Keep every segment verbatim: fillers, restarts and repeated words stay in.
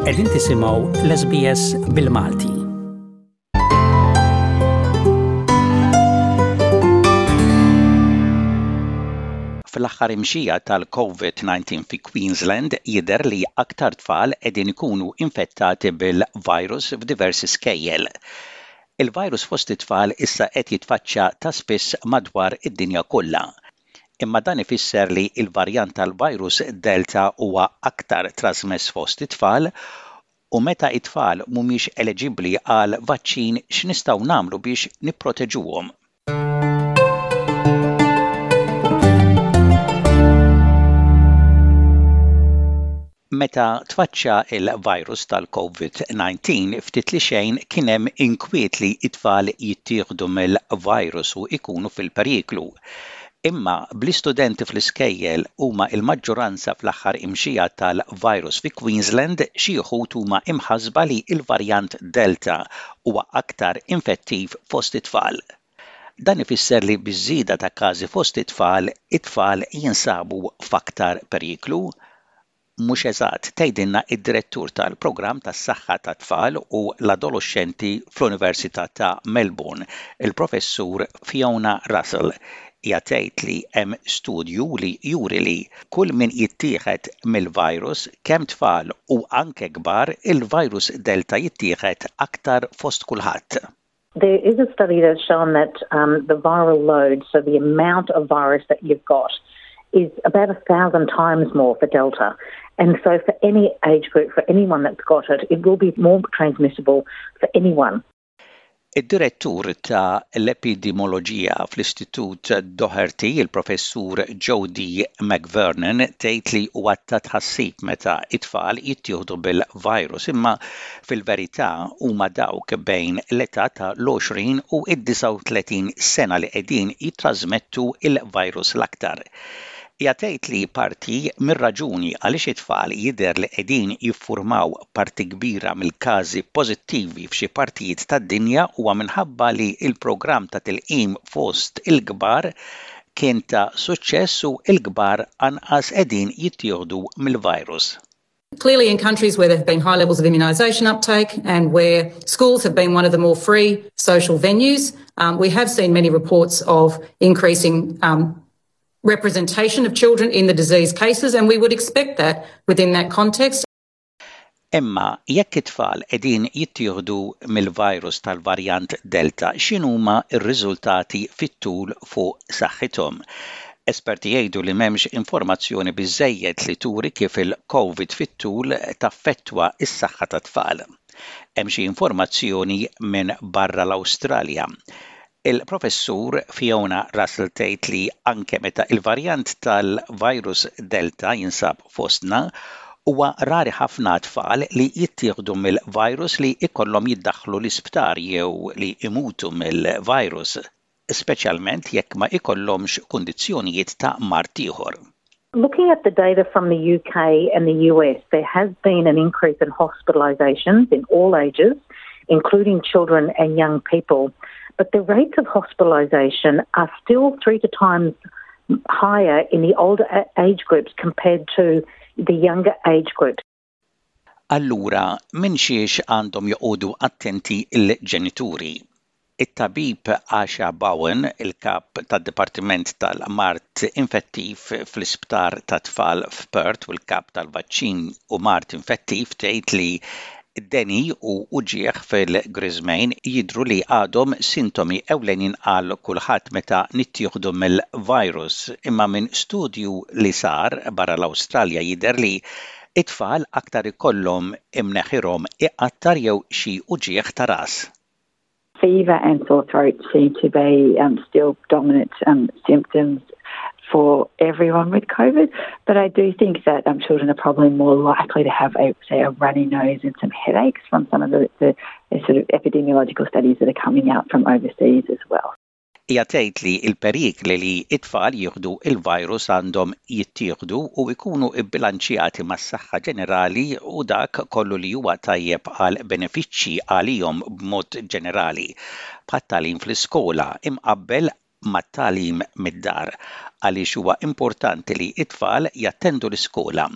Qegħdin tisimgħu l-S B S bil-Malti. Fl-aħħar imxija tal-COVID nineteen fi Queensland, jidher li aktar tfal qegħdin ikunu infettati bil-virus f'diversi skejjel. Il-virus fost it-tfal issa qed jitfaċċa ta' spiss madwar id-dinja kollha. Imma dan ifisser li l-varjant tal-virus Delta huwa aktar trasmess fost it-tfal, u meta it-tfal mhumiex eliġibbli għal vaċċin, x'nistgħu nagħmlu biex nipproteġuhom? Meta tfaċċa il-virus tal-COVID nineteen, ftit li xejn kien hemm inkwiet li it-tfal jittieħdu mill-virus u ikunu fil-periklu. Imma bl-istudenti fl-iskejjel huma il-maġġoranza fl-aħħar imxija tal-virus fi Queensland, xi wħud huma imħasba li l-varjant Delta huwa aktar infettiv fost it-tfal. Dan ifisser li biż-żieda ta' każi fost it-tfal, it-tfal jinsabu f'aktar periklu? Mhux eżatt, tgħidilna id-direttur tal-programm tas-saħħa tat-tfal u l-adolexxenti fl-Università ta' Melbourne, il-Professur Fiona Russell. Hija tgħid li hemm studju li juri li kull min jittieħed mill-virus, kemm tfal u anke kbar, il-virus Delta jittieħed aktar fost kulħadd. There is a study that's shown that um, the viral load, so the amount of virus that you've got, is about a thousand times more for Delta. And so for any age group, for anyone that's got it, it will be more transmissible for anyone. Id-direttur ta' l-epidemioloġija fl-Istitut Doherty, il-Professur Jodie McVernon, tgħid li huwa ta' tħassib meta it-tfal jittieħdu bil-virus, imma fil-verità huma dawk bejn l-età ta' l-għoxrin u id-disgħa u tletin sena li qegħdin jittrażmettu il-virus l-aktar. Hija tgħid li parti mir-raġuni għaliex it-tfal jidher li qegħdin jiffurmaw parti kbira mill-każi pożittivi f'xi partijiet tad-dinja huwa minħabba li l-programm ta' tilqim fost il-kbar kien ta' suċċess u l-kbar anqas qegħdin jittieħdu mill-virus. Clearly, in countries where there have been high levels of immunisation uptake and where schools have been one of the more free social venues, um, we have seen many reports of increasing um, representation of children in the disease cases, and we would expect that within that context. Imma jekk it-tfal qegħdin jittieħdu mill-virus tal-varjant Delta, x'inhuma r-riżultati fit-tul fuq saħħithom? Esperti jgħidu li m'hemmx informazzjoni biżejjed li turi kif il-COVID fit-tul taffettwa s-saħħa tat-tfal. Hemm xi informazzjoni minn barra l-Awstralja. Il-Professur Fiona Russell tgħid li anke meta il-varjant tal-virus Delta jinsab fostna, huwa rari ħafna tfal li jittieħdu mill-virus li ikollhom jiddaħħlu l-isptar jew li imutu mill-virus, speċjalment jekk ma ikollhomx kundizzjonijiet ta' mard ieħor. Looking at the data from the U K and the U S, there has been an increase in hospitalisations in all ages, including children and young people. But the rates of hospitalisation are still three to times higher in the older age groups compared to the younger age groups. Allura, minn xiex għandhom joqogħdu attenti il-ġenituri? It-tabib Asha Bowen, il-kap tad-Dipartiment tal-Mard Infettiv fl-Isptar tat-Tfal f'Perth u l-kap tal-Vaċċin u Mard Infettiv, tgħid li deni u uġieħ fil-griżmejn jidru li għadhom sintomi ewlenin għal kulħadd meta nittieħdu mill-virus, imma minn studju li sar barra l-Awstralja jidher li it-tfal aktar ikollhom imneħirhom iqattar jew xi uġieħ ta' ras. Fever and sore throat seem to be um, still dominant um, symptoms for everyone with COVID. But I do think that um, children are probably more likely to have, a, say, a runny nose and some headaches from some of the, the, the sort of epidemiological studies that are coming out from overseas as well. Hija tgħid li l-perikli li it-tfal jieħdu il-virus għandhom jittieħdu u jkunu bbilanċjati mas-saħħa ġenerali u dak kollu li huwa tajjeb għal benefiċċji għalihom b'mod ġenerali, bħat-tagħlim fl-iskola imqabbel mat-tagħlim mid-dar għaliex huwa importanti li t-tfal jattendu l-iskola.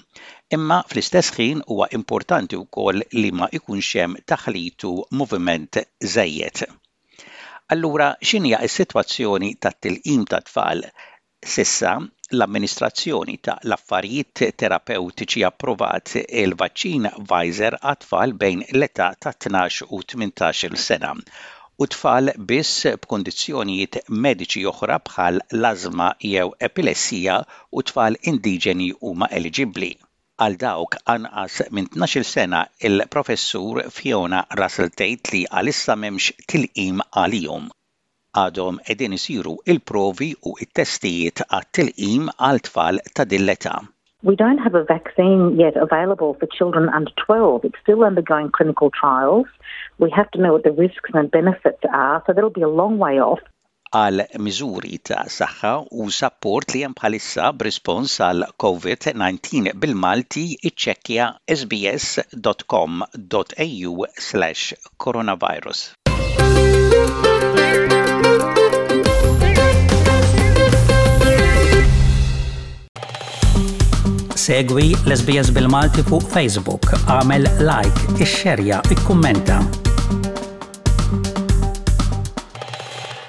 Imma fl-istess ħin huwa importanti wkoll li ma jkunx hemm taħlit u moviment żejjed. Allura x'inhija s-sitwazzjoni tat-tilqim tat-tfal? S'issa, l-Amministrazzjoni ta' l-Affarijiet Terapewtiċi approvat il-vaċċin Pfizer għat-tfal bejn l-età ta' tnax u tmintax-il sena u tfal biss b'kundizzjonijiet mediċi oħra bħal l-ażma jew epilessija u tfal indiġeni huma eliġibbli. Għal dawk anqas minn tnax-il sena il-Professur Fiona Russell tgħid li għalissa m'hemmx tilqim għalihom. Għadhom qegħdin isiru il-provi u t-testijiet għat-tilqim għal tfal ta' din l-età. We don't have a vaccine yet available for children under twelve. It's still undergoing clinical trials. We have to know what the risks and benefits are, so that'll be a long way off. Għal miżuri ta' saħħa u sapport li hemm bħalissa b'rispons għal COVID nineteen bil-Malti iċċekkja s b s dot com dot a u slash coronavirus. Segwi l-S B S bil-Malti fuq Facebook, għamel like, ixxerja, ikkummenta.